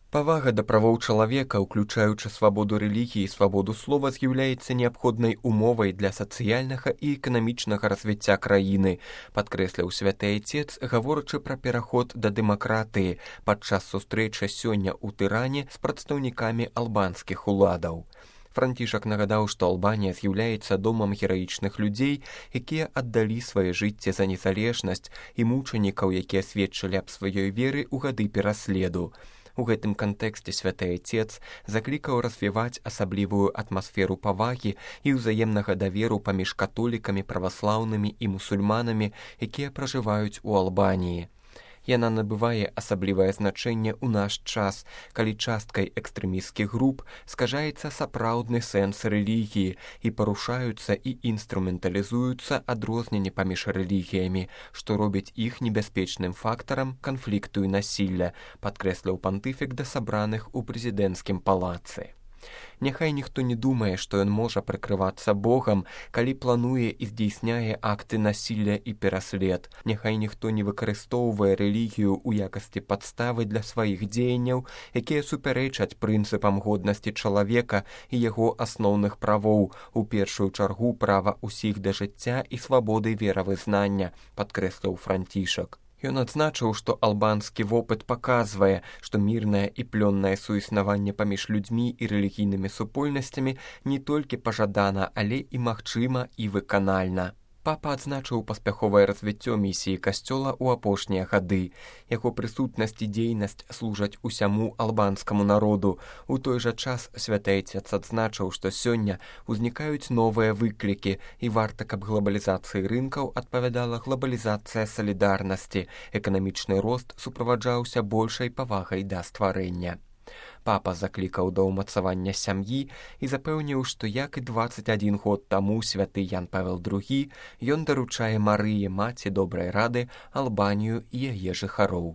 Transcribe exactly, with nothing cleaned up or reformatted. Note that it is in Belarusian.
Павага да правоў чалавека, уключаючы свабоду рэлігіі і свабоду слова, з'яўляецца неабходнай умовай для сацыяльнага і эканамічнага развіцця краіны, падкрэсліў святы айцец, гаворачы пра пераход да дэмакратыі падчас сустрэчы сёння ў Тыране з прадстаўнікамі албанскіх уладаў. Францішак нагадаў, што Албанія з'яўляецца домам гераічных людзей, якія аддалі свае жыцці за незалежнасць, і мучанікаў, якія сведчылі аб сваёй веры ў гады пераследу. У гэтым кантэксце святы айцец заклікаў развіваць асаблівую атмасферу павагі і ўзаемнага даверу паміж католікамі, праваслаўнымі і мусульманамі, якія пражываюць у Албаніі. Яна набывае асаблівае значэнне ў наш час, калі часткай экстрэмісцкіх груп скажаецца сапраўдны сэнс рэлігіі і парушаюцца і інструменталізуюцца адрозненні паміж рэлігіямі, што робіць іх небяспечным фактарам канфлікту і насілля, падкрэсліў пантыфік да сабраных у прэзідэнцкім палацы. Няхай ніхто не думае, што ён можа прыкрывацца Богам, калі плануе і здзейсняе акты насілля і пераслед. Няхай ніхто не выкарыстоўвае рэлігію ў якасці падставы для сваіх дзеянняў, якія супярэчаць прынцыпам годнасці чалавека і яго асноўных правоў, у першую чаргу права ўсіх да жыцця і свабоды веравызнання, падкрэсліў Францішак. Ён адзначыў, што албанскі вопыт паказвае, што мірнае і плённае суіснаванне паміж людзьмі і рэлігійнымі супольнасцямі не толькі пажадана, але і магчыма і выканальна. Папа адзначыў паспяховае развіццё місіі касцёла ў апошнія гады. Яго прысутнасць і дзейнасць служаць усяму албанскаму народу. У той жа час святы айцец адзначыў, што сёння ўзнікаюць новыя выклікі, і варта, каб глобалізацыі рынкаў адпавядала глобалізацыя салідарнасці. Эканамічны рост суправаджаўся большай павагай да стварэння. Папа заклікаў да ўмацавання сям'і і запэўніў, што як і дваццаць адзін год таму святы Ян Павел другі, ён даручае Марыі, маці добрай рады, Албанію і яе жыхароў.